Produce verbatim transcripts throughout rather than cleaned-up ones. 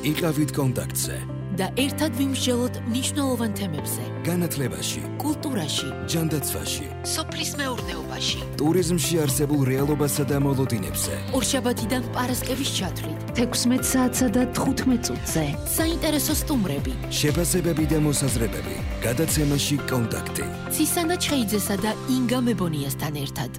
იყავით კონტაქტზე და ერთად ვიმსჯელოთ მნიშვნელოვან თემებზე. განათლებაში, კულტურაში, ჯანდაცვაში, სოფლის მეურნეობაში, ტურიზმში არსებულ რეალობასა და მოლოდინებზე. ორშაბათიდან პარასკევის ჩათვლით, თექვსმეტ საათსა და თხუთმეტ წუთზე. საინტერესო სტუმრები, შეფასებები და მოსაზრებები. გადაცემაში კონტაქტი. ცისანა ჩხეიძესა და ინგა მებონიასთან ერთად.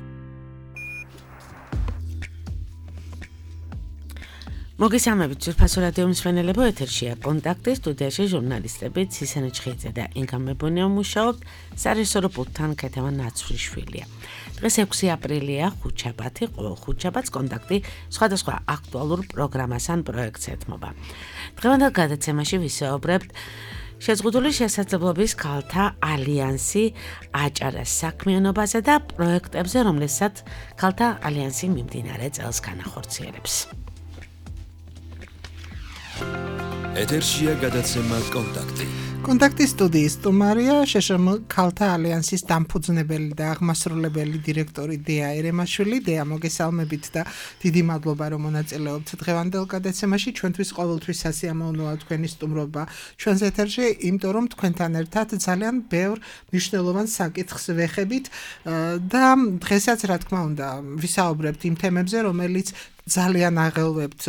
მოგესალმებით, ძვირფასო რადიო მსმენელებო, ეთერშია კონტაქტი, სტუდიაში ჟურნალისტები ცისანა ჩხეიძე და ინგა მებონია მუშაობთ, სარეჟისორო პულტთან ქეთევა ნაცვლიშვილია. დღეს ექვსი აპრილია, ხუთშაბათი, ყოველ ხუთშაბათს კონტაქტი სხვადასხვა აქტუალურ პროგრამას ან პროექტს ეთმობა. დღევანდელ გადაცემაში ვისაუბრებთ შეზღუდული შესაძლებლობის ქალთა ალიანსი აჭარას საქმიანობაზე და პროექტებზე, რომლებსაც ქალთა ალიანსი მიმდინარე წელს განახორციელებს. ეთერშია გადაცემა კონტაქტი. კონტაქტის სტუდიის სტუმარია შეშმ ქალთა ალიანსის დამფუძნებელი და აღმასრულებელი დირექტორი დეა ერემაშვილი. დეა, მოგესალმებით და დიდი მადლობა, რომ მონაწილეობთ დღევანდელ გადაცემაში. ჩვენთვის ყოველთვის სასიამოვნოა თქვენი სტუმრობა ჩვენს ეთერში, იმიტომ რომ თქვენთან ერთად ძალიან ბევრ მნიშვნელოვან საკითხს ვეხებით და დღესაც, რა თქმა უნდა, ვისაუბრებთ იმ თემებზე, რომელიც ძალიან აღელვებთ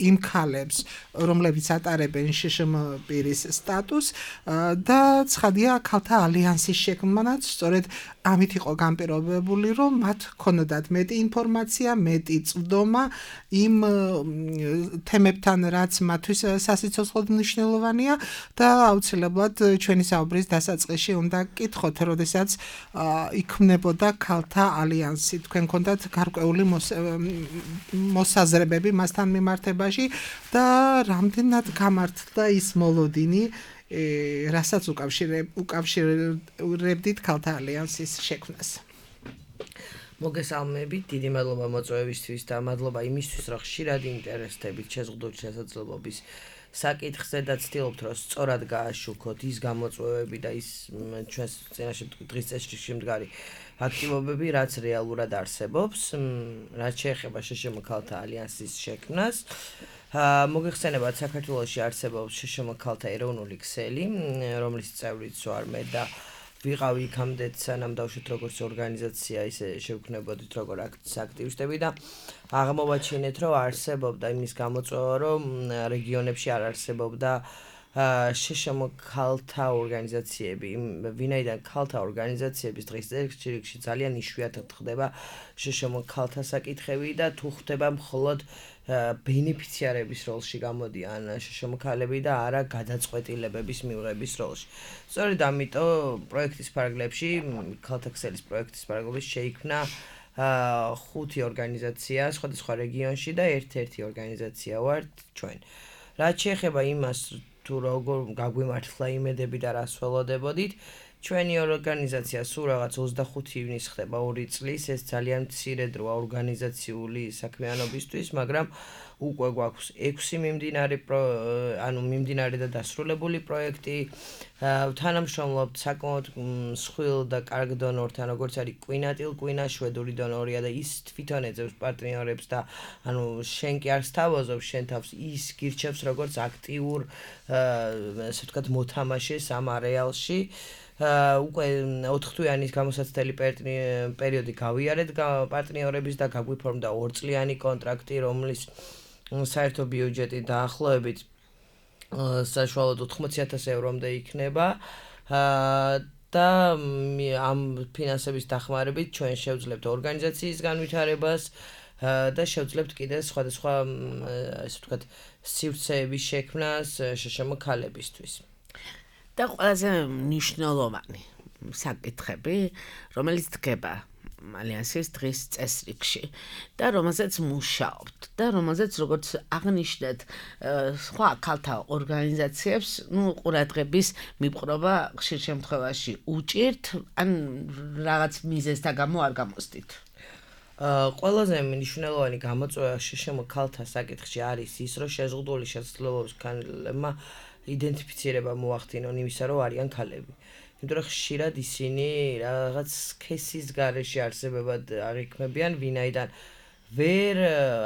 იმ ქალებს, რომლებიც ატარებენ შშმ პირის სტატუსს და ცხადია ქალთა ალიანსის შექმნაც სწორედ ამით იყო განპირობებული, რომ მათ ქონოდათ მეტი ინფორმაცია, მეტი წვდომა იმ თემებთან, რაც მათთვის სასიცოცხლოდ მნიშვნელოვანია და აუცილებლად ჩვენი საუბრის დასაწყისში უნდა გკითხოთ, როდესაც იქმნებოდა ქალთა ალიანსი, თქვენ გქონდათ გარკვეული მოსაზრებები მასთან მიმართებაში და რამდენად გამართლდა ის მოლოდინი, რასაც უკავშირებდით ქალთა ალიანსის შექმნას. მოგესალმებით, დიდი მადლობა მოწვევისთვის და მადლობა იმისთვის, რომ ხშირად ინტერესდებით შეზღუდული შესაძლებლობის საკითხზე და ცდილობთ, რომ სწორად გააშუქოთ ის გამოწვევები და ის ჩვენს წინაშე დღის წესრიგში მდგარი აქტივობები, რაც რეალურად არსებობს, რაც შეეხება შშმ ქალთა ალიანსის შექმნას. მოგეხსენებათ, საქართველოში არსებობს შშმ ქალთა ეროვნული ქსელი, რომლის წევრიც ვარ მე და ვიყავი იქამდეც, სანამ დავშვით როგორც ორგანიზაცია, ისე შევქმნებოდით როგორ აქტივისტები და აღმოვაჩინეთ, რომ არსებობდა იმის გამოწვევა, რომ რეგიონებში არ არსებობდა შშმ ქალთა ორგანიზაციები, ვინაიდან ქალთა ორგანიზაციების დღის წესრიგში ძალიან იშვიათად ხდება შშმ ქალთა საკითხები და თუ ხდება მხოლოდ ბენეფიციარების როლში გამოდიან შშმ ქალები და არა გადაწყვეტილებების მიღების როლში. სწორედ ამიტომ პროექტის ფარგლებში, ქალთა ქსელის პროექტის ფარგლებში შეიქმნა ხუთი ორგანიზაცია სხვადასხვა რეგიონში და ერთ-ერთი ორგანიზაცია ვართ ჩვენ. რაც შეეხება იმას, თუ როგორ გაგვიმართლა იმედები და რას ველოდებოდით, ჩვენი ორგანიზაცია სულ რაღაც ოცდახუთი ივნის ხდება ორი წლის, ეს ძალიან მცირე დროა ორგანიზაციული საქმიანობისთვის, მაგრამ უკვე გვაქვს ექვსი მიმდინარე ანუ მიმდინარე და დასრულებული პროექტი, თანამშრომლობთ საკმაოდ მსხვილ და კარგ დონორთან, როგორც არის კვინატილ კვინა, შვედური დონორია და ის თვითონ ეძებს პარტნიორებს და ანუ შენ კი არ სთავაზობ შენ თავს, ის გირჩევს როგორც აქტიურ ასე ვთქვათ მოთამაშეს ამ არეალში. უკვე ოთხთვიანი გამოსაცდელი პერიოდი გავიარეთ პარტნიორების და გაგვიფორმდა ორწლიანი კონტრაქტი, რომლის საერთო ბიუჯეტი დაახლოებით საშუალოდ ოთხმოცი ათასი ევრომდე იქნება და ამ ფინანსების დახმარებით ჩვენ შევძლებთ ორგანიზაციის განვითარებას და შევძლებთ კიდე სხვადასხვა ასე ვთქვათ სივრცეების შექმნას შშმ ქალებისთვის. და ყველაზე მნიშვნელოვანი საკითხები, რომელიც დგება ალიანსის დღის წესრიგში და რომელზეც მუშაობთ და რომელზეც როგორც აღნიშნეთ სხვა ქალთა ორგანიზაციებს, ну, ყურადღების მიპყრობა ხშირ შემთხვევაში უჭირთ, ან რაღაც მიზეზთა გამო არ გამოსდით. ყველაზე მნიშვნელოვანი გამოწვევა შშმ ქალთა საკითხში არის ის, რომ შეზღუდული შესაძლებლობის ქალებმა იდენტიფიცირება მოახდინონ იმისა, რომ არიან ქალები. იმიტომ რომ ხშირად ისინი რაღაც სქესის გარეშე არსებებად არ იქმნებიან, ვინაიდან ვერ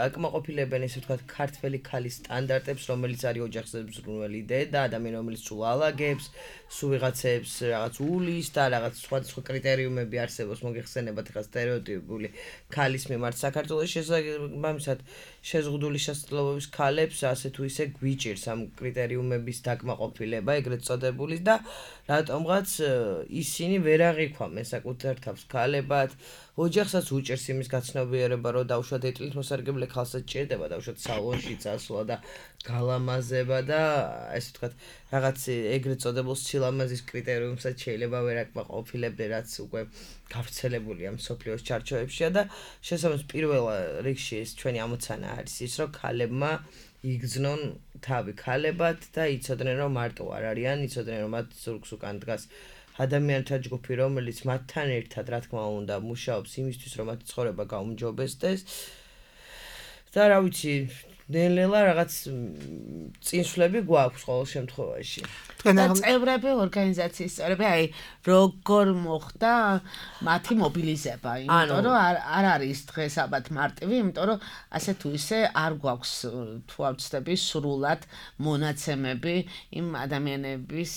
აკმაყოფილებენ ესე ვთქვათ ქართველი ქალის სტანდარტებს, რომელიც არის ოჯახზე მზრუნველი დედა, ადამიანი რომელიც სულ ალაგებს, სულ ვიღაცებს რაღაც ულის და რაღაც სხვადასხვა კრიტერიუმები არსებობს მოგეხსენებათ ხა სტერეოტიპული ქალის მიმართ საქართველოს შესაბამისად შეზღუდული შესაძლებლობების ქალებს ასე თუ ისე გვიჭირს ამ კრიტერიუმების დაკმაყოფილება ეგრეთ წოდებული და რატომღაც ისინი ვერ აღიქვამენ საკუთარ თავს ქალებად ოჯახსაც უჭერს იმის გაცნობიერება, რომ დაუშვათ ეტლით მოსარგებლე ქალსაც ჭირდება, დაუშვათ სალონში წასვლა და გალამაზება და ესე ვთქვათ, რაღაც ეგრეთ წოდებულ სილამაზის კრიტერიუმსაც შეიძლება ვერ აკმაყოფილებდნენ, რაც უკვე გავრცელებულია მსოფლიოს ჩარჩოებშია და შესაბამისად პირველ რიგში ეს ჩვენი ამოცანა არის ის, რომ ქალებმა იგრძნონ თავი ქალებად და იცოდნენ, რომ მარტო არ არიან, იცოდნენ, რომ მათ ზურგს უკან დგას ადამიანთა ჯგუფი, რომელიც მათთან ერთად, რა თქმა უნდა, მუშაობს იმისთვის, რომ მათი ცხოვრება გაუმჯობესდეს. და რა ვიცი, ნელ-ნელა რაღაც წინსვლები გვაქვს ყოველ შემთხვევაში. და წევრები ორგანიზაციის წევრები, აი, როგორ მოხდა მათი მობილიზება, იმიტომ რომ არ არის დღეს ალბათ მარტივი, იმიტომ რომ ასე თუ ისე არ გვაქვს თუ არ ვცდები სრულად მონაცემები იმ ადამიანების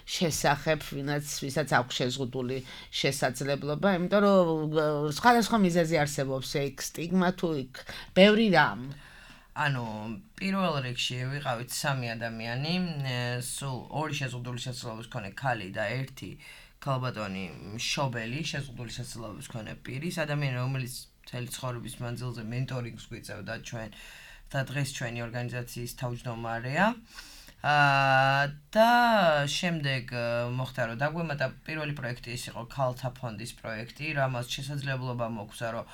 შესახებ, ვინაც ვისაც აქვს შეზღუდული შესაძლებლობა, იმიტომ რომ სხვადასხვა მიზეზი არსებობს, ეგ სტიგმა თუ იქ ბევრი რამ. ანუ პირველ რიგში ვიყავით სამი ადამიანი, სულ ორი შეზღუდული შესაძლებლობის მქონე ქალი და ერთი ქალბატონი მშობელი შეზღუდული შესაძლებლობის მქონე პირის ადამიანი, რომელიც მთელი ცხოვრების მანძილზე მენტორინგს გვიწევდა ჩვენ და დღეს ჩვენი ორგანიზაციის თავმჯდომარეა. და შემდეგ მოხდა რომ დაგვემატა პირველი პროექტი ის იყო ქალთა ფონდის პროექტი, რამაც შესაძლებლობა მოგვცა რომ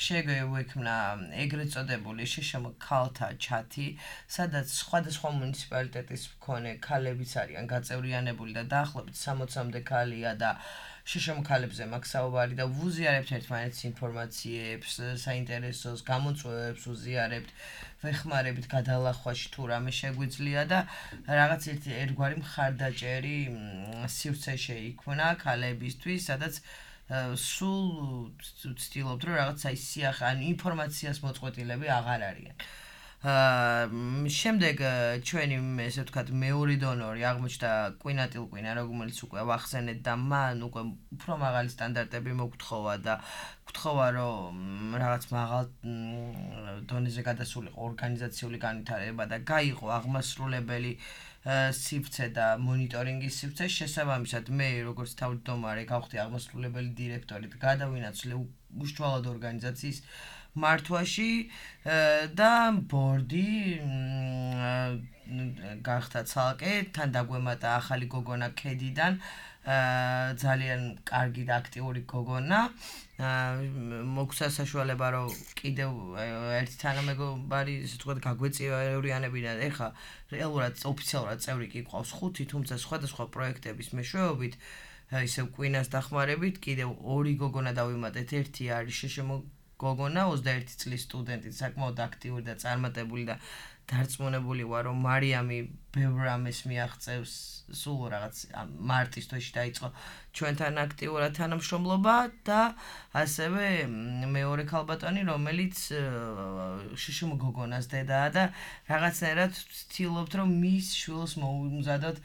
შეგვექმნა ეგრეთ წოდებული შეშმო ქალთა ჩათი, სადაც სხვადასხვა მუნიციპალიტეტის მქონე ქალებიც არიან გაწევრიანებული და დაახლოებით სამოცამდე ქალია და შეშმო ქალებზე მაქვს საუბარი და ვუზიარებთ ერთმანეთს ინფორმაციებს, საინტერესოს გამოწვევებს ვუზიარებთ, ვეხმარებით გადალახვაში თუ რამე შეგვიძლია და რაღაც ერთი ერთგვარი მხარდაჭერი სივრცე შეიქმნა ქალებისთვის, სადაც სულ ვცდილობთ რომ რაღაც აი სიახ ან ინფორმაციას მოწყვეტილები აღარ არიან. შემდეგ ჩვენი ესე ვთქვათ მეორე დონორი აღმოჩნდა კვინატილკვინა, რომელიც უკვე ვახსენეთ და მან უკვე უფრო მაღალი სტანდარტები მოგთხოვა და გთხოვა რომ რაღაც მაღალ დონეზე გადასულიყო ორგანიზაციული განვითარება და გაიყო აღმასრულებელი სივრცე და მონიტორინგის სივრცე. შესაბამისად მე როგორც თავმჯდომარე გავხდი აღმასრულებელი დირექტორი და გადავინაცვლე უშუალოდ ორგანიზაციის მართვაში და ბორდი გახდა ცალკე, თან დაგვემატა ახალი გოგონა ქედიდან, ძალიან კარგი და აქტიური გოგონა. მოგვცა საშუალება რომ კიდევ ერთი თანამეგობარი ისე ვთქვათ გაგვეწევრიანებინა. ეხლა რეალურად ოფიციალურად წევრი კი ყავს ხუთი, თუმცა სხვადასხვა პროექტების მეშვეობით ისევ კვინას დახმარებით კიდევ ორი გოგონა დავიმატეთ. ერთი არის შეშმო გოგონა, ოცდაერთი წლის სტუდენტი, საკმაოდ აქტიური და წარმატებული და დარწმუნებული ვარ, რომ მარიამი ბევრ რამეს მიაღწევს, სულ რაღაც მარტის თვეში დაიწყო ჩვენთან აქტიურად თანამშრომლობა და ასევე მეორე ქალბატონი, რომელიც შეშმო გოგონას დედაა და რაღაცნაირად ვცდილობთ, რომ მის შვილს მოუმზადოთ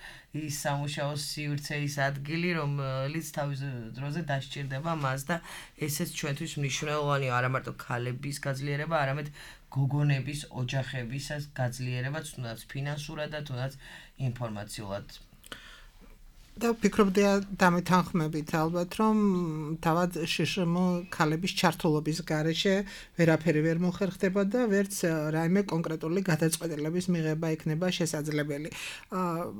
ის სამუშაო სივრცე, ის ადგილი, რომელიც თავის დროზე დასჭირდება მას და ესეც ჩვენთვის მნიშვნელოვანია, არა მარტო ქალების გაძლიერება, არამედ გოგონების, ოჯახებისაც გაძლიერება, თუნდაც ფინანსურად და თუნდაც ინფორმაციულად. და ვფიქრობდი დამეთანხმებით ალბათ, რომ თავად შეშმო ქალების ჩართულობის გარეშე ვერაფერი ვერ მოხერხდება და ვერც რაიმე კონკრეტული გადაწყვეტილების მიღება იქნება შესაძლებელი.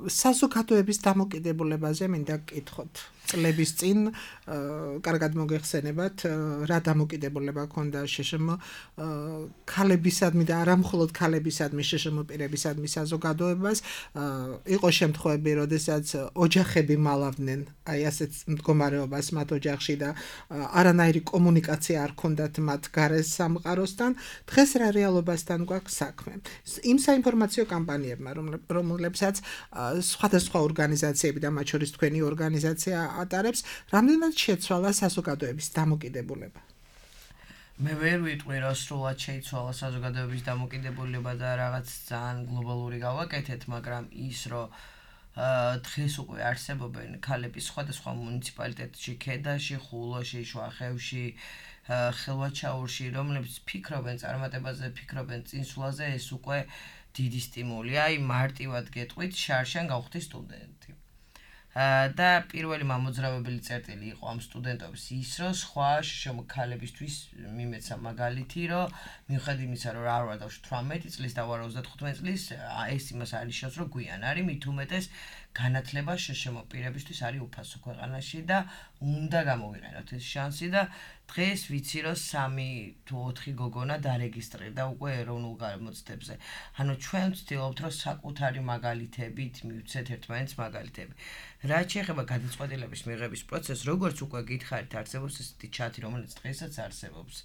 საზოგადოების დამოკიდებულებაზე მინდა გკითხოთ. წლების წინ კარგად მოგეხსენებათ, რა დამოკიდებულება ჰქონდა შეშმო ქალებისადმი და არა მხოლოდ ქალებისადმი, შეშმო პირებისადმი საზოგადოებას. იყო შემთხვევები, როდესაც ოჯახები მალავდნენ აი ასეთ მდგომარეობას მათ ოჯახში და არანაირი კომუნიკაცია არ ჰქონდათ მათ გარეს სამყაროსთან. დღეს რა რეალობასთან გვაქვს საქმე? იმ საინფორმაციო კამპანიებმა, რომლებსაც სხვადასხვა ორგანიზაციები და მათ შორის თქვენი ორგანიზაცია ატარებს, რამდენად შეცვალა საზოგადოების დამოკიდებულება? მე ვერ ვიტყვი რომ სრულად შეიცვალა საზოგადოების დამოკიდებულება და რაღაც ძალიან გლობალური გავაკეთეთ, მაგრამ ის რომ დღეს უკვე არსებობენ ქალები სხვადასხვა მუნიციპალიტეტში, ქედაში, ხულოში, შუახევში, ხელვაჩაურში, რომლებიც ფიქრობენ წარმატებაზე, ფიქრობენ წინსვლაზე, ეს უკვე დიდი სტიმულია. აი მარტივად გეტყვით, შარშან გავხდი სტუდენტი. და პირველი მამოძრავებელი წერტილი იყო ამ სტუდენტობის ის, რომ სხვა შრომ ქალებისთვის მიმეცა მაგალითი, რომ მიუხედავად იმისა, რომ რა ვარ დავში თვრამეტი წლის და ვარ ოცდათხუთმეტი წლის, ეს იმას არნიშნავს, რომ გვიან არის, მით უმეტეს განათლება შშმ პირებისთვის არის უფასო ქვეყანაში და უნდა გამოვიყენოთ ეს შანსი და დღეს ვიცი, რომ სამი თუ ოთხი გოგონა დარეგისტრირდა უკვე ეროვნულ გამოცდებზე. ანუ ჩვენ ვცდილობთ, რომ საკუთარი მაგალითებით მივცეთ ერთმანეთს მაგალითები. რაც შეეხება გადაწყვეტილების მიღების პროცესს, როგორც უკვე გითხარით, არსებობს ესეთი ჩათი, რომელიც დღესაც არსებობს.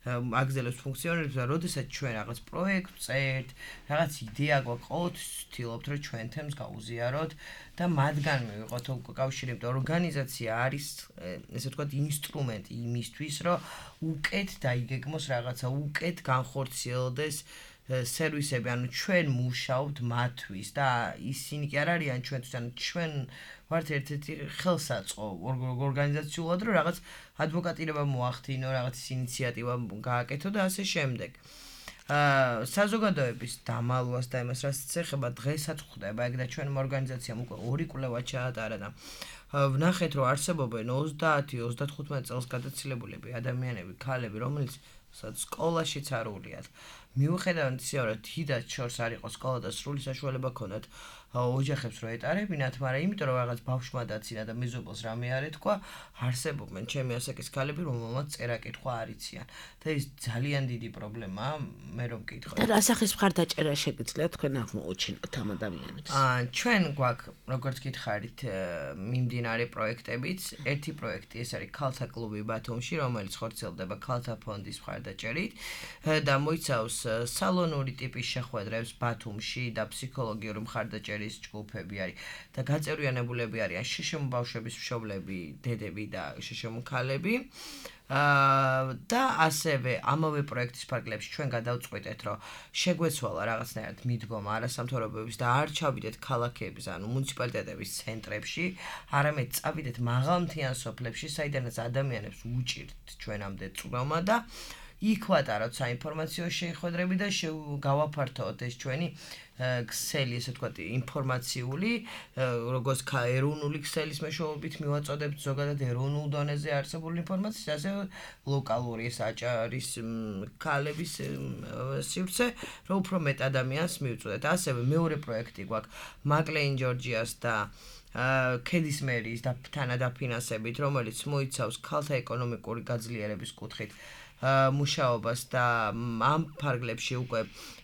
აგზელებს ფუნქციონირებს და როდესაც ჩვენ რაღაც პროექტს წერთ, რაღაც იდეა გვაქვს, ყოველთვის ვცდილობთ, რომ ჩვენ თემს გაუზიაროთ და მათგან მივიღოთ კავშირი, იმიტომ რომ ორგანიზაცია არის, ესე ვთქვათ, ინსტრუმენტი იმისთვის, რომ უკეთ დაიგეგმოს რაღაცა, უკეთ განხორციელდეს სერვისები, ანუ ჩვენ მუშაობთ მათთვის და ისინი კი არ არიან ჩვენთვის, ანუ ჩვენ ვართ ერთ-ერთი ხელსაწყო ორგანიზაციულად, რომ რაღაც ადვოკატირება მოახდინო, რაღაც ინიციატივა გააკეთო და ასე შემდეგ. საზოგადოების დამალვას და იმას რაც ეხება დღესაც ხდება, ეგ და ჩვენმა ორგანიზაციამ უკვე ორი კვლევა ჩაატარა და ვნახეთ, რომ არსებობენ ოცდაათი ოცდათხუთმეტი წელს გადაცილებული ადამიანები, ქალები, რომელიც სკოლაშიც არ უვლიათ. მიუხედავად ისეა, რომ დიდად შორს არ იყო სკოლა და სრული საშუალება ქონდათ ოჯახებს რო ეტარებინათ, მაგრამ იმიტომ რომ რაღაც ბავშვმა დაცინა და მეზობელს რამე არ ეთქვა, არსებობენ ჩემი ასაკის ქალები, რომელმაც წერა-კითხვა არ იციან. და ეს ძალიან დიდი პრობლემაა, მე რომ მკითხავ. და რა სახის მხარდაჭერა შეგიძლიათ თქვენ აღმოუჩინოთ ამ ადამიანებს? აა ჩვენ გვაქვს, როგორც გითხარით, მიმდინარე პროექტებიც. ერთი პროექტი ეს არის ქალთა კლუბი ბათუმში, რომელიც ხორციელდება ქალთა ფონდის მხარდაჭერით და მოიცავს სალონური ტიპის შეხვედრებს ბათუმში და ფსიქოლოგიური მხარდაჭერის ჯგუფები არის და გაწევრიანებულები არიან შშმ ბავშვების მშობლები, დედები და შშმ ქალები. და ასევე ამავე პროექტის ფარგლებში ჩვენ გადავწყვიტეთ, რომ შეგვეცვალა რაღაცნაირად მიდგომა არასამთავრობოების და არ ჩავიდეთ ქალაქების, ანუ მუნიციპალიტეტების ცენტრებში, არამედ წავიდეთ მაღალმთიან სოფლებში, საიდანაც ადამიანებს უჭირთ ჩვენამდე წვრილმა და იქ ვატაროთ საინფორმაციო შეხვედრები და გავაფართოვოთ ეს ჩვენი ქსელი, ესე ვთქვათ, ინფორმაციული, როგორც ეროვნული ქსელის მეშვეობით მივაწოდებთ ზოგადად ეროვნულ დონეზე არსებული ინფორმაციის, ასევე ლოკალური ეს აჭარის ქალების სივრცე, რომ უფრო მეტ ადამიანს მივწოდეთ. ასევე მეორე პროექტი გვაქვს მაკლეინ ჯორჯიას და ქედის მერის თანადაფინანსებით, რომელიც მოიცავს ქალთა ეკონომიკური გაძლიერების კუთხით მუშაობას და ამ ფარგლებში უკვე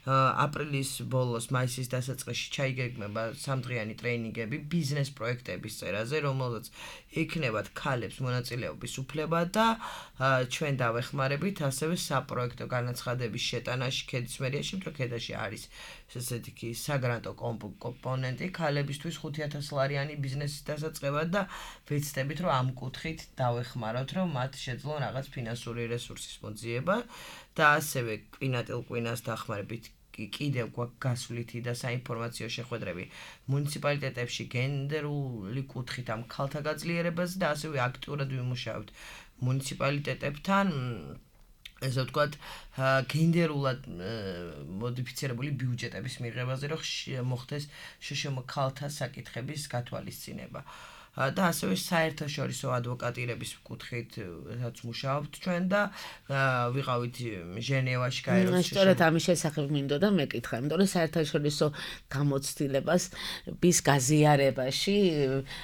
აპრილის ბოლოს, მაისის დასაწყისში ჩაიგეგმება სამდღიანი ტრეინინგები ბიზნეს პროექტების წერაზე, რომელზეც იქნებათ ქალებს მონაწილეობის უფლება და ჩვენ დავეხმარებით ასევე საპროექტო განაცხადების შეტანაში ქედის მერიაში, იმიტომ ქედაში არის ესეთი კი საგრანტო კომპონენტი ქალებისთვის ხუთი ათას ლარიანი ბიზნესის დასაწყებად და ვეცდებით, რომ ამ კუთხით დავეხმაროთ, რომ მათ შეძლონ რაღაც ფინანსური რესურსის მოძიება და ასევე კვინატილ-კვინას დახმარებით კიდევ გვაქვს გასვლითი და საინფორმაციო შეხვედრები მუნიციპალიტეტებში გენდერული კუთხით ამ ქალთა გაძლიერებაზე და ასევე აქტიურად ვიმუშავებთ მუნიციპალიტეტებთან ესე ვთქვათ, გენდერულად მოდიფიცირებული ბიუჯეტების მიღებაზე, რომ მოხდეს შშმ ქალთა საკითხების გათვალისწინება. და ასევე საერთაშორისო ადვოკატირების კუთხითაც მუშაობთ ჩვენ და ვიყავით ჟენევაში, გაეროში. სწორედ ამის შესახებ მინდოდა მეკითხა, იმიტომ რომ საერთაშორისო გამოცდილებას bis გაზიარებაში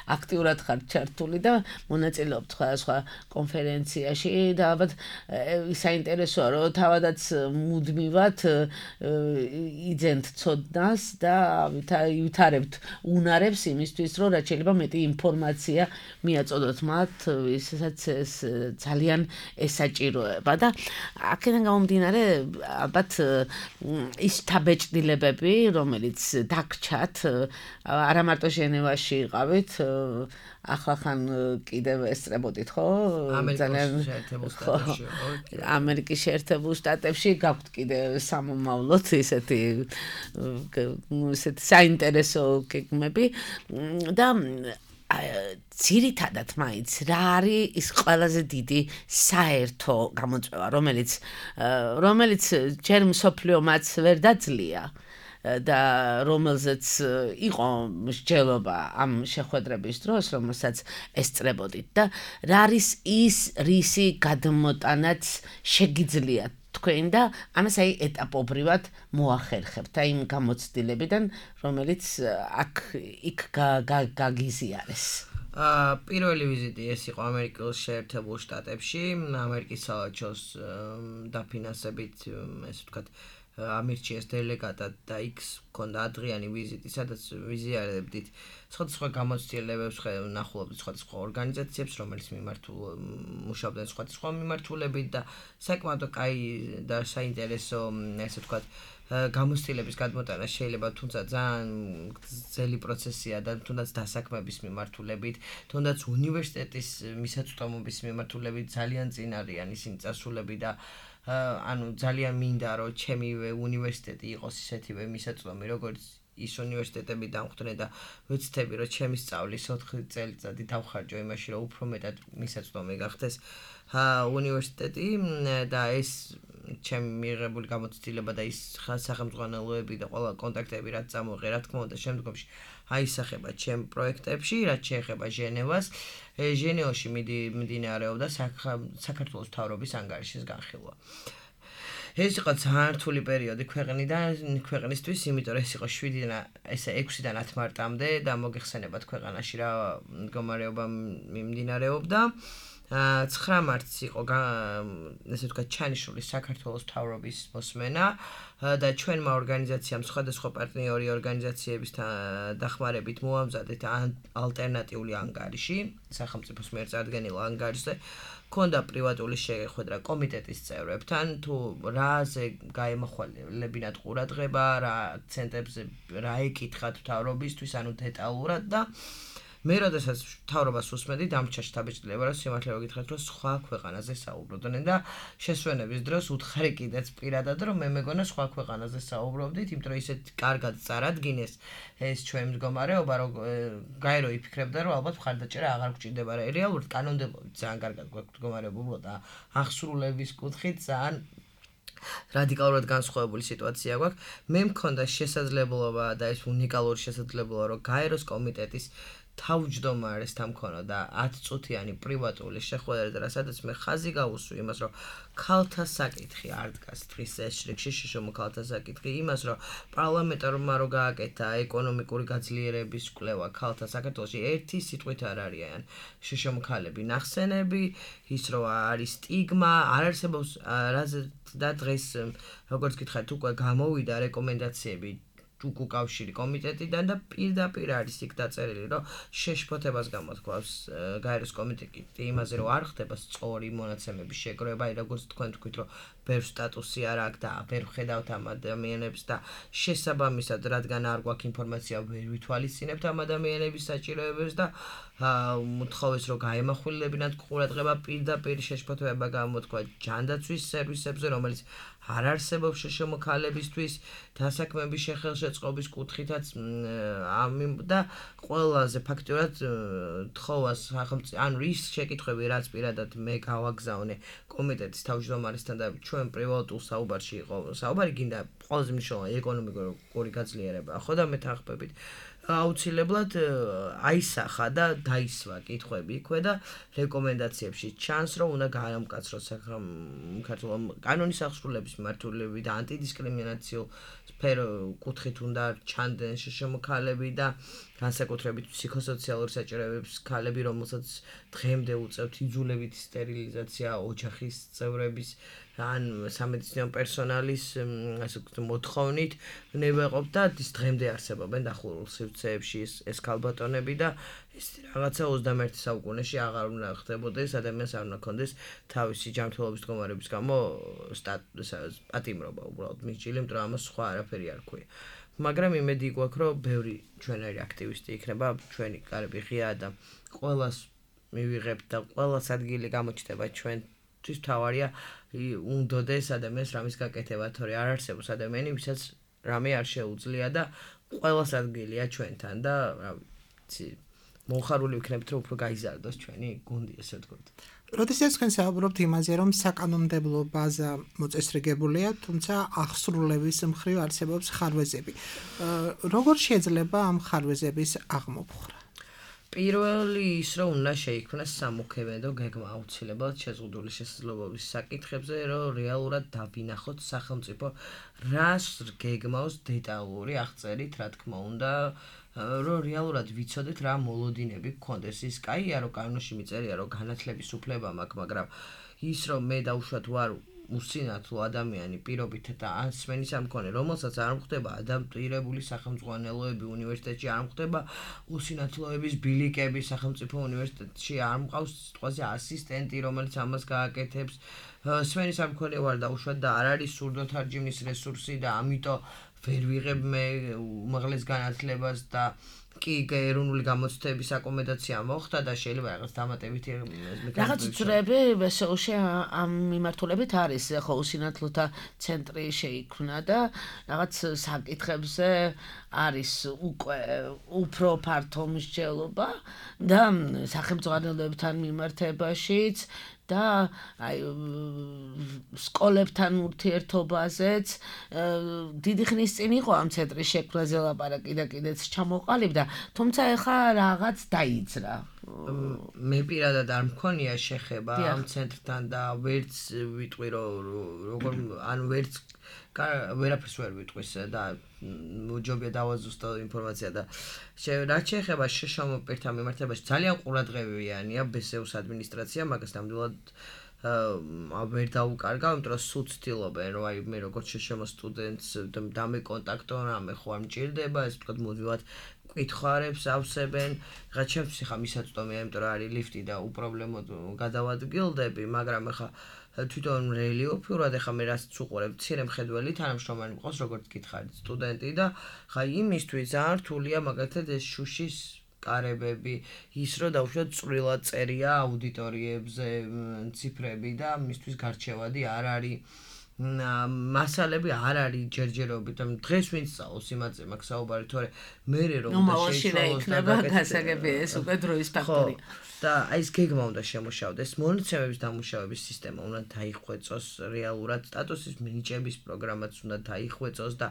აქტიურად ხართ ჩართული და მონაწილეობთ სხვადასხვა კონფერენციაში და ალბათ საინტერესოა, რომ თავადაც მუდმივად იძენთ ცოდნას და ვითარებთ უნარებს იმისთვის, რომ რაც შეიძლება მეტი ინფორმაცია ინფორმაცია მიაწოდოთ მათ, ისაც ეს ძალიან ესაჭიროება და აქედან გამომდინარე ალბათ ის თაბეჭდილებები, რომელიც დაგჩათ, არა მარტო ჟენევაში იყავით, ახლა-ხან კიდევ ესწრებოდით, ხო? ძალიან ამერიკის შეერთებულ შტატებში გაქვთ კიდევ სამომავლოდ ისეთი ისეთი საინტერესო გეგმები და ძირითადად მაინც რა არის ის ყველაზე დიდი საერთო გამოწვევა, რომელიც რომელიც ჯერ მსოფლიომაც ვერ დაძლია და რომელზეც იყო მსჯელობა ამ შეხვედრების დროს, რომელსაც ესწრებოდით და რა არის ის რისი გადმოტანაც შეგიძლიათ თქვენ და ამას აი ეტაპობრივად მოახერხებთ აი იმ გამოცდილებიდან, რომელიც აქ იქ გაგიზიარეს. პირველი ვიზიტი ეს იყო ამერიკის შეერთებულ შტატებში, ამერიკის საელჩოს დაფინანსებით, ესე ვთქვათ, ამირჩიეს დელეგატად და იქ ჰქონდა ადრიანი ვიზიტი, სადაც ვიზიარებდით სხვადასხვა გამოცდილებებს, ნახულობდით სხვადასხვა ორგანიზაციებს, რომელიც მუშაობდნენ სხვადასხვა მიმართულებით და საკმაოდ კაი და საინტერესო, ესე ვთქვათ, გამოცდილების გადმოტანა შეიძლება, თუმცა ძალიან ძელი პროცესია და თუნდაც დასაქმების მიმართულებით, თუნდაც უნივერსიტეტის მისაწვდომობის მიმართულებით ძალიან წინ არიან ისინი წასულები და ანუ ძალიან მინდა რომ ჩემივე უნივერსიტეტი იყოს ისეთივე მისაწვდომი, როგორც ის უნივერსიტეტები დამხვდნენ და ვეცდები რომ ჩემი სწავლის ოთხი წელიწადი დავხარჯო იმაში, რომ უფრო მეტად მისაწვდომი გახდეს უნივერსიტეტი და ეს ჩემი მიღებული გამოცდილება და ის სახელმძღვანელოები და ყველა კონტაქტები რაც წამოიღე, რა თქმა უნდა, შემდგომში აისახება ჩემ პროექტებში, რაც შეეხება ჟენევას. ჟენევაში მიმდინარეობდა საქართველოს მთავრობის ანგარიშის განხილვა. ეს იყო ძალიან რთული პერიოდი ქვეყნიდან, ქვეყნისთვის, იმიტომ რომ ეს იყო შვიდიდან ესე ექვსიდან ათ მარტამდე და მოგეხსენებათ ქვეყანაში რა მდგომარეობა მიმდინარეობდა. ცხრა მარტს იყო ესე ვთქვათ ჩანიშნული საქართველოს მთავრობის მოსმენა და ჩვენმა ორგანიზაციამ სხვადასხვა პარტნიორი ორგანიზაციების დახმარებით მოამზადეთ ალტერნატიული ანგარიში, სახელმწიფოს მიერ წარდგენილ ანგარიშზე. ქონდა პრივატული შეხვედრა კომიტეტის წევრებთან, თუ რაზე გაემახვილებინათ ყურადღება, რა აქცენტებზე რა ეკითხათ მთავრობისთვის, ანუ დეტალურად და მე როდესაც მთავრობას უსმენდი, დამრჩა შთაბეჭდილება, რომ სიმართლე რომ გითხრათ, რომ სხვა ქვეყანაზე საუბრობდნენ და შესვენების დროს უთხარი კიდეც პირადად, რომ მე მეგონა სხვა ქვეყანაზე საუბრობდით, იმიტომ რომ ისეთ კარგად წარადგინეს ეს ჩვენი მდგომარეობა, რომ გაერო იფიქრებდა, რომ ალბათ მხარდაჭერა აღარ გვჭირდება. რეალურად კანონმდებლობით ძალიან კარგად გვაქვს მდგომარეობა და აღსრულების კუთხით ძალიან რადიკალურად განსხვავებული სიტუაცია გვაქვს. მე მქონდა შესაძლებლობა და ეს უნიკალური შესაძლებლობა, რომ გაეროს კომიტეტის თავმჯდომარესთან მქონოდა ათი წუთიანი პრივატული შეხვედრა, სადაც მე ხაზი გავუსვი იმას, რომ ქალთა საკითხი არ დგას დღის ეშრიგში, შშმ ქალთა საკითხი, იმას, რომ პარლამენტარმა რო გააკეთა ეკონომიკური გაძლიერების კვლევა ქალთა საქართველოში, ერთი სიტყვით არ არიან შშმ ქალები ნახსენები, ის რომ არის სტიგმა, არ არსებობს რაზე და დღეს როგორც გითხარით, უკვე გამოვიდა რეკომენდაციები უკავშირი კომიტეტიდან და პირდაპირ არის იქ დაწერილი, რომ შეშფოთებას გამოთქვავს გაეროს კომიტეტი იმაზე, რომ არ ხდება სწორი მონაცემების შეგროვება, როგორც თქვენ თქვით, რომ ბევრ სტატუსი არ აქვს და ვერ ვხედავთ ამ ადამიანებს და შესაბამისად, რადგან არ გვაქვს ინფორმაცია, ვერ ვითვალისწინებთ ამ ადამიანების საჭიროებებს და მოთხოვეს, რომ გაემახვილებინათ ყურადღება, პირდაპირ შეშფოთება გამოთქვა ჯანდაცვის სერვისებზე, რომელიც არ არსებობს შშმ ქალებისთვის დასაქმების შეხელშეწყობის კუთხითაც და ყველაზე ფაქტურად თხოვას ანუ ის შეკითხვები, რაც პირადად მე გავაგზავნე კომიტეტის თავმჯდომარესთან და ჩვენ პრივატულ საუბარში იყო საუბარი, გინდა ყველაზე მნიშვნელოვანი ეკონომიკური გაძლიერება, ხო და მეთანხმებით აუცილებლად აისახა და დაისვა კითხვები იქვე და რეკომენდაციებში ჩანს, რომ უნდა გაამკაცროს საქართველოს კანონის აღსრულების მიმართულებით და ანტიდისკრიმინაციულ სფერო კუთხით უნდა ჩანდნენ შშმ ქალები და განსაკუთრებით ფსიქოსოციალური საჭიროებების ქალები, რომელსაც დღემდე უწევთ იძულებითი სტერილიზაცია, ოჯახის წევრების ან სამედიცინო პერსონალის ასე ვთქვათ მოთხოვნით ნებაყოფ და ის დღემდე არსებობენ დახურულ სივრცეებში ეს ქალბატონები და ეს რაღაცა ოცდამეერთე საუკუნეში აღარ უნდა ხდებოდეს ადამიანს არ უნდა ქონდეს თავისი ჯანმრთელობის მდგომარეობის გამო პატიმრობა უბრალოდ მიჭილი, იმიტომ რომ ამას სხვა არაფერი არ ქვია. მაგრამ იმედი გვაქვს, რომ ბევრი ჩვენერი აქტივისტი იქნება, ჩვენი კარები ღია და ყველას მივიღებთ და ყველას ადგილი გამოჩნდება ჩვენთვის თავარია უნდოდეს ადამიანს რამის გაკეთება, თორე არ არსებობს ადამიანი, ვისაც რამე არ შეუძლია და ყველას ადგილია ჩვენთან და რა ვიცი მოხარული ვიქნებით, რომ უფრო გაიზარდოს ჩვენი გუნდი, ესე ვთქვათ. როდესაც თქვენ საუბრობთ იმაზე, რომ საკანონმდებლო ბაზა მოწესრიგებულია, თუმცა აღსრულების მხრივ არსებობს ხარვეზები. როგორ შეიძლება ამ ხარვეზების აღმოფხვრა? პირველი ის რომ უნდა შეიქმნას სამოქმედო გეგმა აუცილებლად შეზღუდული შესაძლებლობის საკითხებზე, რომ რეალურად დავინახოთ სახელმწიფო რას გეგმავს დეტალური აღწერით, რა თქმა უნდა, რომ რეალურად ვიცოდეთ რა მოლოდინები გქონდეს. ის კაია, რომ კანონში მიწერია, რომ განათლების უფლება მაქვს, მაგრამ ის რომ მე დაუშვათ ვარ უსინათლო ადამიანი პირობით და ან სმენის ამ მქონე, რომელსაც არ მხდება ადაპტირებული სახელმწიფოანელოები უნივერსიტეტში, არ მხდება უსინათლოების ბილიკები სახელმწიფო უნივერსიტეტში, არ მყავს სიტყვაზე ასისტენტი, რომელიც ამას გააკეთებს. სმენის ამ მქონე ვარ დაუშვათ და არ არის სურდოთარჯიმნის რესურსი და ამიტომ ვერ ვიღებ მე უმაღლეს განათლებას და კი ეროვნული გამოცდების აკომედაცია მოხდა და შეიძლება რაღაც დამატებითი რაღაც წრეები ვესეულში ამ მიმართულებით არის ხო უსინათლოთა ცენტრი შეიქმნა და რაღაც საკითხებზე არის უკვე უფრო ფართო მსჯელობა და სახელმწიფოებთან მიმართებაშიც და აი სკოლებთან ურთიერთობაზეც დიდი ხნის წინ იყო ამ ცენტრის შექმნაზე ლაპარაკი და კიდეც ჩამოყალიბდა, თუმცა ეხლა რაღაც დაიძრა. მე პირადად არ მქონია შეხება ამ ცენტრთან და ვერც ვიტყვი რომ როგორ ან ვერც ვერაფერს ვერ ვიტყვის და მოჯობია დავაზუსტო ინფორმაცია და რაც შეეხება შშმ პირთა მიმართებაში ძალიან ყურადღებიანია ბესეუს ადმინისტრაცია, მაგას ნამდვილად ვერ დაუკარგავ, იმიტომ რომ სულ ცდილობენ, რომ აი მე როგორც შშმ სტუდენტს დამეკონტაქტო, რამე ხო არ მჭირდება, ეს ვთქვათ მუდმივად კითხარებს ავსებენ, რა ჩემთვის ხა მისაწვდომია, იმიტომ რომ არის ლიფტი და უპრობლემოდ გადავადგილდები, მაგრამ ხა თვითონ რელიოფურად ეხა მე რაც უყურებ, მცირე მხედველი თანამშრომელი მყავს, როგორც გითხარით, სტუდენტი და ხა იმისთვის ძალიან რთულია მაგალითად ეს შუშის კარებები, ის რომ დავუშვათ წვრილად წერია აუდიტორიებზე ციფრები და მისთვის გარჩევადი არ არის მასალები არ არის ჯერჯერობით, დღეს ვინც სწავლობს იმაზე მაქვს საუბარი, თორე მე რომ შეიცვალოს და გასაგები ეს უკვე დროის ფაქტორია. და აი ეს გეგმა უნდა შემოშავდეს, მონაცემების დამუშავების სისტემა უნდა დაიხვეწოს რეალურად, სტატუსის მინიჭების პროგრამაც უნდა დაიხვეწოს და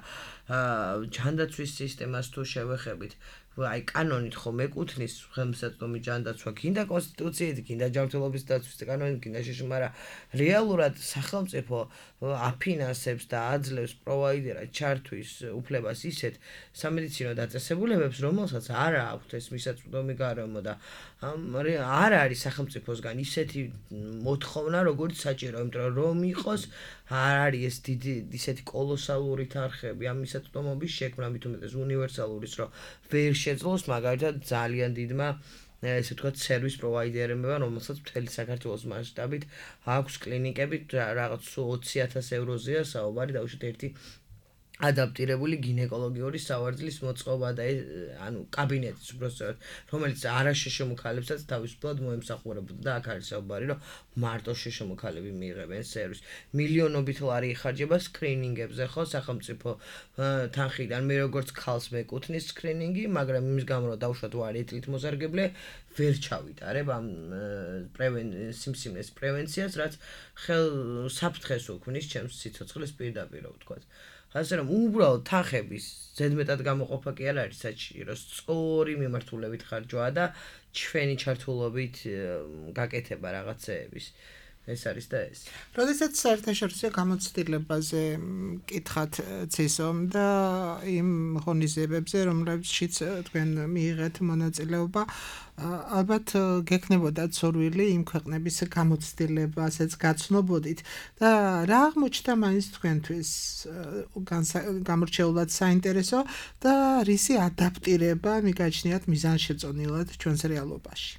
ჯანდაცვის სისტემას თუ შევეხებით, აი კანონით ხო მეკუთვნის ხელმისაწვდომი ჯანდაცვა, გინდა კონსტიტუციით, გინდა ჯანმრთელობის დაცვის კანონით, გინდა შშმ, მაგრამ რეალურად სახელმწიფო აფინანსებს და აძლევს პროვაიდერად ჩართვის უფლებას ისეთ სამედიცინო დაწესებულებებს, რომელსაც არ აქვთ ეს მისაწვდომი გარემო და არ არის სახელმწიფოსგან ისეთი მოთხოვნა, როგორც საჭირო, იმიტომ რომ იყოს არ არის ეს დიდი ისეთი კოლოსალური თანხები ამ მისაწვდომობის შექმნა, მით უმეტეს უნივერსალურის, რომ ვერ შეძლოს მაგალითად ძალიან დიდმა ესე ვთქვათ სერვის პროვაიდერებმა, რომელსაც მთელი საქართველოს მასშტაბით აქვს კლინიკები, რაღაც ოცი ათას ევროზეა საუბარი, დავუშვათ ერთი ადაპტირებული გინეკოლოგიური სავარძლის მოწყობა და ანუ კაბინეტის უბრალოდ რომელიც არაშშმ ხალებსაც თავისუფლად მოემსახურებოდა და აქ არის საუბარი რომ მარტო შშმ ხალები მიიღებენ სერვისს. მილიონობით ლარი იხარჯება სკრინინგებზე ხო სახელმწიფო თანხიდან, მე როგორც ქალს მეკუთვნის სკრინინგი, მაგრამ იმის გამო რომ დავუშვათ ვარ ეთლით მოზარგებლე, ვერ ჩავიტარებ ამ სიმსივნეს პრევენციას, რაც ხელ საფრთხეს უქმნის ჩემს სიცოცხლის პირდაპირ ვთქვათ. ასე რომ უბრალოდ თანხების ზედმეტად გამოყოფა კი არ არის საჭირო, სწორი მიმართულებით ხარჯვა და ჩვენი ჩართულობით გაკეთება რაღაცეების. ეს არის და ეს. როდესაც საერთაშორისო გამოცდილებაზე მკითხათ ცისომ და იმ ღონისძიებებზე, რომლებშიც თქვენ მიიღეთ მონაწილეობა, ალბათ გექნებოდათ სურვილი იმ ქვეყნების გამოცდილებასაც გაცნობოდით და რა აღმოჩნდა მაინც თქვენთვის გამორჩეულად საინტერესო და რისი ადაპტირება მიგაჩნიათ მიზანშეწონილად ჩვენს რეალობაში?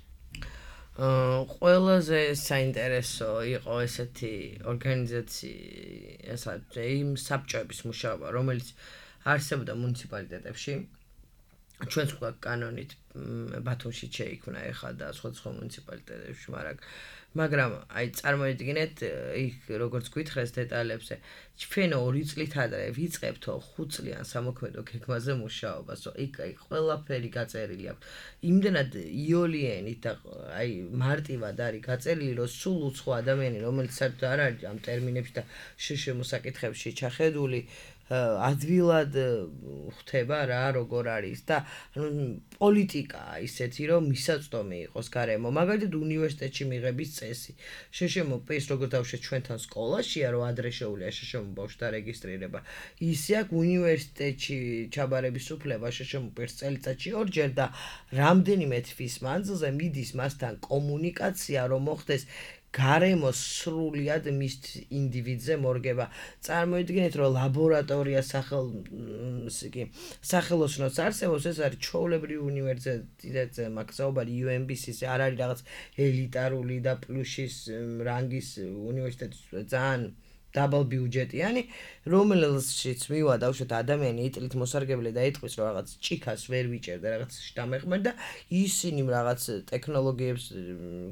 ყველაზე საინტერესო იყო ესეთი ორგანიზაცია, ესა იმ საბჭოების მუშაობა, რომელიც არსებობდა მუნიციპალიტეტებში. ჩვენს უკვე კანონით ბათუმში შეიქმნა ეხლა და სხვადასხვა მუნიციპალიტეტებში, მაგრამ მაგრამ აი წარმოიდგინეთ იქ როგორც გითხრეს დეტალებზე, ჩვენ ორი წლით ადრე ვიწყებთო ხუთ წლიან სამოქმედო გეგმაზე მუშაობას, იქ აი ყველაფერი გაწერილი აქვს. იმდენად იოლიენით და აი მარტივად არის გაწერილი, რომ სულ უცხო ადამიანი, რომელიც საერთოდ არ არის ამ ტერმინებში და შშმ საკითხებში ჩახედული, ადვილად ხვდება რა როგორ არის და პოლიტიკაა ისეთი რომ მისაწვდომი იყოს გარემო მაგალითად უნივერსიტეტში მიღების წესი შშმ პირს როგორ დავუშვათ ჩვენთან სკოლაშია რომ ადრე შეუულია შშმ ბავშვთა რეგისტრირება ისე აქ უნივერსიტეტში ჩაბარების უფლება შშმ პირს წელიწადში ორჯერ და რამდენიმე თვის მანძილზე მიდის მასთან კომუნიკაცია რომ მოხდეს გარემო სრულიად მის ინდივიდზე მორგება. წარმოიდგინეთ, რომ ლაბორატორია სახელ კი სახელოსნოს არსებობს, ეს არის ჩვეულებრივი უნივერსიტეტზე, მაგსაუბარი იუ ემ ბი-ის არ არის რაღაც ელიტარული და პლუსის რანგის უნივერსიტეტი, ძალიან double ბიუჯეტიანი, რომელშიც მივა დავუშვათ ადამიანი იტლით მოსარგებლე და ეთქვის რომ რაღაც ჭიქას ვერ ვიჭერდა, რაღაც შტამეხმერ და ისინი რაღაც ტექნოლოგიებს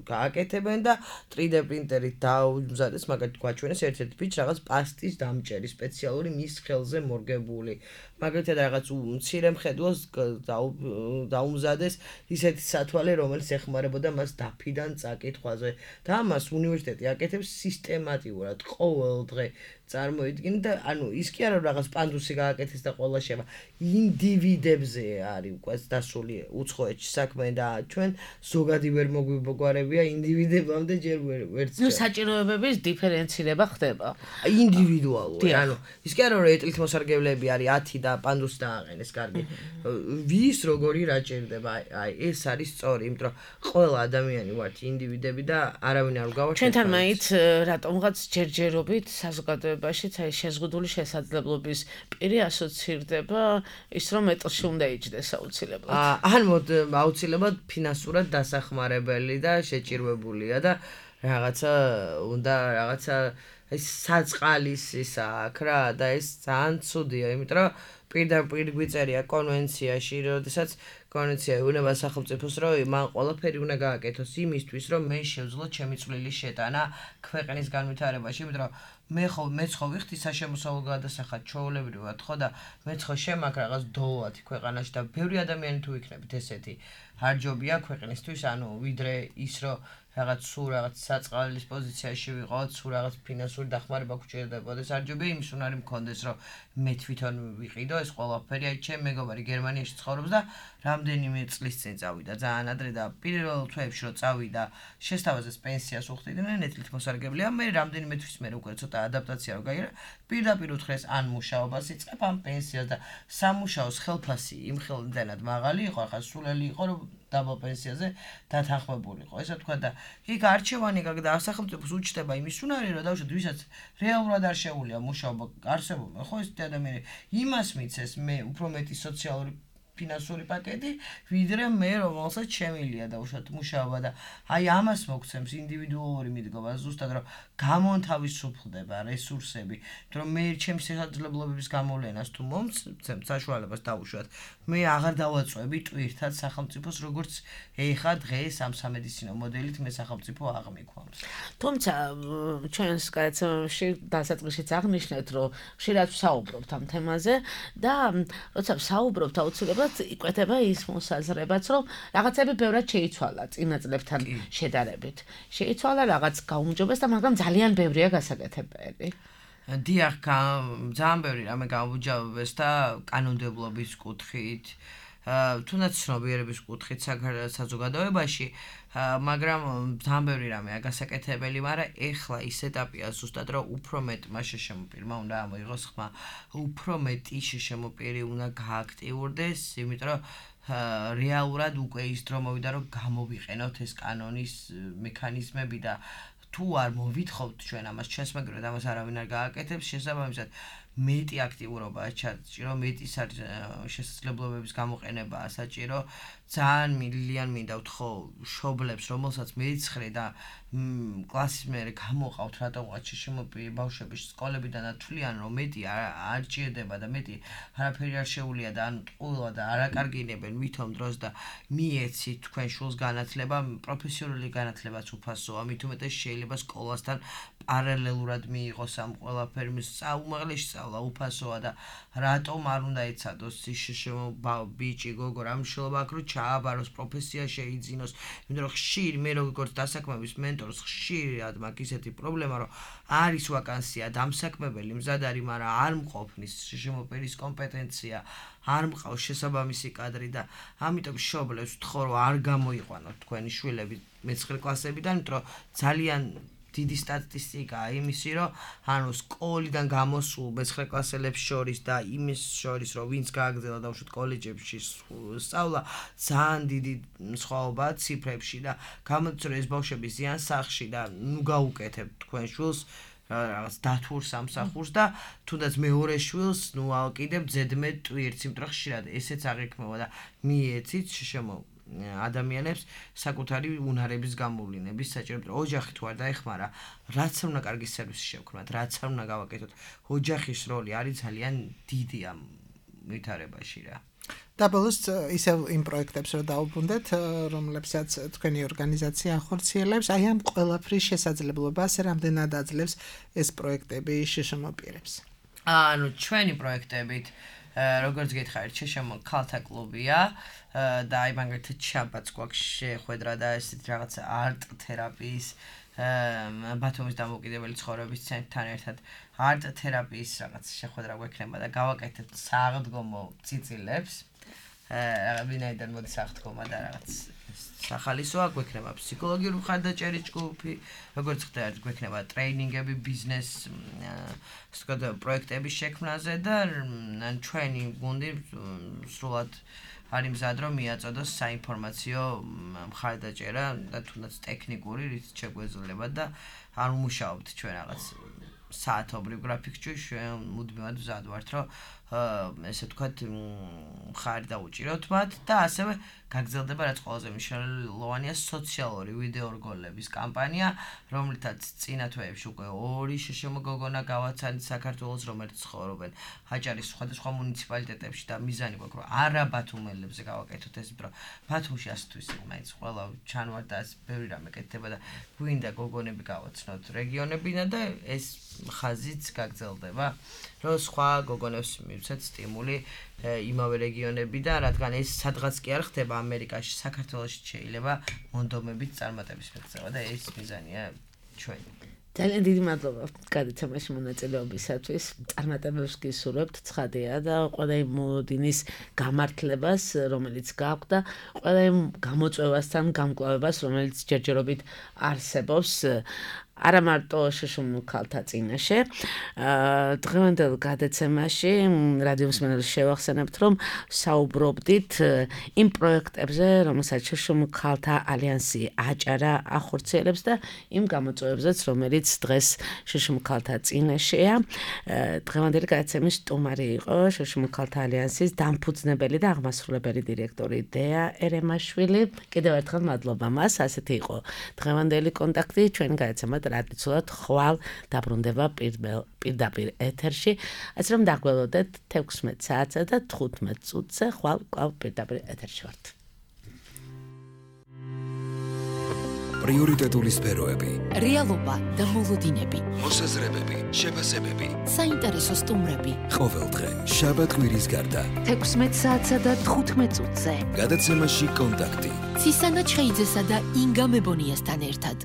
გააკეთებენ და თრი დე პრინტერით დაუმზადეს, მაგალითად გვაჩვენეს ერთ-ერთი ბიჭი რაღაც პასტის დამჭერი სპეციალური მის ხელზე მორგებული. მაგალითად რაღაც მცირე მხედველს დაუმზადეს ისეთი სათვალე, რომელიც ეხმარებოდა მას დაფიდან წაკითხვაზე და ამას უნივერსიტეტი აკეთებს სისტემატიურად ყოველ დღე წარმოიდგინე და ანუ ის კი არა რაღაც პანდუსი გააკეთეს და ყველა შევა ინდივიდებზე არის უკვე დასული უცხოეთში საქმე და ჩვენ ზოგადი ვერ მოგვიბოგვარებია ინდივიდებამდე ჯერ ვერც ნუ საჭიროებების დიფერენცირება ხდება ინდივიდუალური ანუ ის კი არა რომ ეტლით მოსარგებლეები არის ათი და პანდუსი დააყენეს კარგი ვის როგორი რა ჭირდება აი ეს არის სწორი იმიტომ რომ ყველა ადამიანი ვართ ინდივიდები და არავინ არ გავარჩევთ ჩვენთან მაინც რატომღაც ჯერჯერობით საზოგადოებაშიც აი შეზღუდული შესაძლებლობის პირი ასოცირდება ის რომ მეტლში უნდა იჯდეს აუცილებლად. ან მოდ აუცილებლად ფინანსურად დასახმარებელი და შეჭირვებულია და რაღაცა უნდა რაღაცა ეს საწყალის ისა აქ რა და ეს ძალიან ცუდია, იმიტომ რომ პირდაპირ გვიწერია კონვენციაში, როდესაც კონვენცია ეუბნება სახელმწიფოს, რომ მან ყველაფერი უნდა გააკეთოს იმისთვის, რომ მე შევძლო ჩემი წვლილი შეტანა ქვეყნის განვითარებაში, იმიტომ რომ მე ხო მეც ხო ვიხდი საშემოსავლო გადასახად ჩვეულებრივად ხო და მეც ხო შემაქ რაღაც დოლოათი ქვეყანაში და ბევრი ადამიანი თუ იქნებით ესეთი არჯობია ქვეყნისთვის, ანუ ვიდრე ის რომ რაღაც სულ რაღაც საწყალის პოზიციაში ვიყავთ, სულ რაღაც ფინანსური დახმარება გვჭირდებოდეს, არჯობია იმის უნარი მქონდეს, რომ მე თვითონ ვიყიდო ეს ყველაფერი, აი ჩემ მეგობარი გერმანიაში ცხოვრობს და რამდენიმე წლის წინ წავიდა ძალიან ადრე და პირველ თვეებში რომ წავიდა შესთავაზეს პენსიას უხდიდნენ ეთლით მოსარგებლეა, მე რამდენიმე თვის მერე უკვე ცოტა ადაპტაცია რო გაიგე, პირდაპირ უთხრეს ან მუშაობას იწყებ ან პენსიას და სამუშაოს ხელფასი იმ ხელმდანად მაღალი იყო, ახლა სულელი იყო რომ დაბალ პენსიაზე დათანხმებულიყო. ესა თქვა და იქ არჩევანი გაგდა სახელმწიფოს უჩნდება იმის უნარი, რომ დავუშვათ ვისაც რეალურად არ შეუულია მუშაობა არსებობა, ხო ეს ადამიანი იმას მიცეს მე უფრო მეტი სოციალური ფინანსური პაკეტი, ვიდრე მე რომელსაც შემილია დავუშვათ მუშაობა და აი ამას მოგცემს ინდივიდუალური მიდგომა ზუსტად რომ გამონთავისუფლდება რესურსები, რომ მე ჩემს შესაძლებლობების გამოვლენას თუ მომცემ საშუალებას დავუშვათ, მე აღარ დავაწვევი ტვირთად სახელმწიფოს როგორც ეხა დღეს ამ სამედიცინო მოდელით მე სახელმწიფო აღმიქვამს. თუმცა ჩვენს გადაცემაში დასაწყისშიც აღნიშნეთ, რომ ხშირად ვსაუბრობთ ამ თემაზე და როცა ვსაუბრობთ აუცილებლად იკვეთება ის მოსაზრებაც, რომ რაღაცები ბევრად შეიცვალა წინა წლებთან შედარებით. შეიცვალა რაღაც გაუმჯობეს და მაგრამ ძალიან ბევრია გასაკეთებელი. დიახ, ძალიან ბევრი რამე გაუმჯობეს და კანონმდებლობის კუთხით თუნდაც ცნობიერების კუთხით საზოგადოებაში, მაგრამ ძალიან ბევრი რამეა გასაკეთებელი, მაგრამ ეხლა ის ეტაპია ზუსტად, რომ უფრო მეტ მასშე შემოპირმა უნდა ამოიღოს ხმა, უფრო მეტი შემოპირი უნდა გააქტიურდეს, იმიტომ რომ რეალურად უკვე ის დრო მოვიდა, რომ გამოვიყენოთ ეს კანონის მექანიზმები და თუ არ მოვითხოვთ ჩვენ ამას შესმაგრად, ამას არავინ არ გააკეთებს, შესაბამისად მეტი აქტიურობაა საჭირო, მეტი შესაძლებლობების გამოყენებაა საჭირო, ძალიან მილიან მინდა ვთხოვ მშობლებს, რომელსაც მეცხრე და კლასის მერე გამოყავთ რატოღაც შემოპირი ბავშვები სკოლებიდან ათვლიან, რომ მეტი არ ჭირდება და მეტი არაფერი არ შეუძლია და ანუ ტყუილად და არაკარგინებენ ვითომ დროს და მიეცით თქვენ შულს განათლება, პროფესიონალური განათლებაც უფასოა, მით უმეტეს შეიძლება სკოლასთან პარალელურად მიიღოს ამ ყველაფერი, საუმაღლესი სწავლა უფასოა და რატომ არ უნდა ეცადოს ის ბიჭი გოგო რა მნიშვნელობა აქვს, რომ ჩააბაროს პროფესია შეიძინოს, იმიტომ რომ ხშირი მე როგორც დასაქმების მენტორს ხშირად მაქვს ისეთი პრობლემა, რომ არის ვაკანსია დამსაქმებელი მზად არის, მაგრამ არ მყოფნის შემოპირის კომპეტენცია, არ მყავს შესაბამისი კადრი და ამიტომ მშობლებს ვთხოვ, რომ არ გამოიყვანოთ თქვენი შვილები მეცხრე კლასებიდან, იმიტომ რომ ძალიან დიდი სტატისტიკაა იმისი, რომ ანუ სკოლიდან გამოსულ მეცხრე კლასელებს შორის და იმის შორის, რომ ვინც გააგრძელა დავუშვათ კოლეჯებში სწავლა, ძალიან დიდი სხვაობაა ციფრებში და გამოდის, რომ ეს ბავშვები ზიან სახში და ნუ გაუკეთებთ თქვენ შვილს რაღაც დათურ სამსახურს და თუნდაც მეორე შვილს ნუ ალკიდებ ზედმეტ ტვირთს, იმიტომ რომ ხშირად ესეც აღიქმება და მიეცით შემო ადამიანებს საკუთარი უნარების გამოვლინების საჭიროება. ოჯახი თუ არ დაეხმარა, რაც არ უნდა კარგი სერვისი შევქმნათ, რაც არ უნდა გავაკეთოთ, ოჯახის როლი არის ძალიან დიდი ამ ვითარებაში რა. და ბოლოს ისევ იმ პროექტებს რომ დაუბრუნდეთ, რომლებსაც თქვენი ორგანიზაცია ახორციელებს, აი ამ ყველაფრის შესაძლებლობას რამდენად აძლევს ეს პროექტები შეშმოპირებს. ანუ ჩვენი პროექტებით როგორც გითხარით, შეშმო ქალთა კლუბია და აი მაგალითად შაბათს გვაქვს შეხვედრა და ესეთ რაღაც არტ თერაპიის ბათუმის დამოუკიდებელი ცხოვრების ცენტრთან ერთად არტ თერაპიის რაღაც შეხვედრა გვექნება და გავაკეთებთ საღდგომო წიწილებს. ვინაიდან მოდის აღდგომა და რაღაც სახალისოა, გვექნება ფსიქოლოგიური მხარდაჭერის ჯგუფი, როგორც ხდება, გვექნება ტრეინინგები ბიზნეს პროექტების შექმნაზე და ჩვენი გუნდი სრულად არის მზად რომ მიაწოდოს საინფორმაციო მხარდაჭერა და თუნდაც ტექნიკური, რის შეგვეძლება და არ ვმუშაობთ ჩვენ რაღაც საათობრივ გრაფიკში, ჩვენ მუდმივად მზად ვართ, რომ ესე ვთქვათ, მხარი დაუჭიროთ მათ და ასევე გაგრძელდება რაც ყველაზე მნიშვნელოვანია სოციალური ვიდეო რგოლების კამპანია, რომლითაც წინა თვეებში უკვე ორი შეშმო გოგონა გავაცანით საქართველოს, რომელიც ცხოვრობენ აჭარის სხვადასხვა მუნიციპალიტეტებში და მიზანი გვაქვს, რომ არა ბათუმელებზე გავაკეთოთ ეს, რომ ბათუმში ასთვის მაინც ყველა ჩანვარ და ბევრი რამე კეთდება და გვინდა გოგონები გავაცნოთ რეგიონებიდან და ეს ხაზიც გაგრძელდება, რომ სხვა გოგონებს მივცეთ სტიმული იმავე რეგიონებიდან, რადგან ეს სადღაც კი არ ხდება ამერიკაში, საქართველოში შეიძლება მონდომებით წარმატების მიღწევა და ეს მიზანია ჩვენი. ძალიან დიდი მადლობა გადაცემაში მონაწილეობისათვის. წარმატებებს გისურვებთ, ცხადია და ყველა იმ მოლოდინის გამართლებას, რომელიც გაქვთ და ყველა იმ გამოწვევასთან გამკლავებას, რომელიც ჯერჯერობით არსებობს. არა მარტო შეშმო ქალთა წინაშე. დღევანდელ გადაცემაში რადიო მსმენელს შევახსენებთ, რომ საუბრობდით იმ პროექტებზე, რომელსაც შეშმო ქალთა ალიანსი აჭარა ახორციელებს და იმ გამოწვევებზეც, რომელიც დღეს შეშმო ქალთა წინაშეა. დღევანდელი გადაცემის სტუმარი იყო შეშმო ქალთა ალიანსის დამფუძნებელი და აღმასრულებელი დირექტორი დეა ერემაშვილი. კიდევ ერთხელ მადლობა მას. ასეთი იყო დღევანდელი კონტაქტი. ჩვენი გადაცემა ტრადიციულად ხვალ დაბრუნდება პირდაპირ ეთერში, ასე რომ დაგველოდეთ თექვსმეტ საათსა და თხუთმეტ წუთზე ხვალ კვლავ პირდაპირ ეთერში ვართ. პრიორიტეტული სფეროები, რეალობა და მოლოდინები, მოსაზრებები, შეფასებები, საინტერესო სტუმრები. ყოველდღე შაბათ კვირის გარდა თექვსმეტ საათსა და თხუთმეტ წუთზე გადაცემაში კონტაქტი. ცისანა ჩხეიძესა და ინგა მებონიასთან ერთად.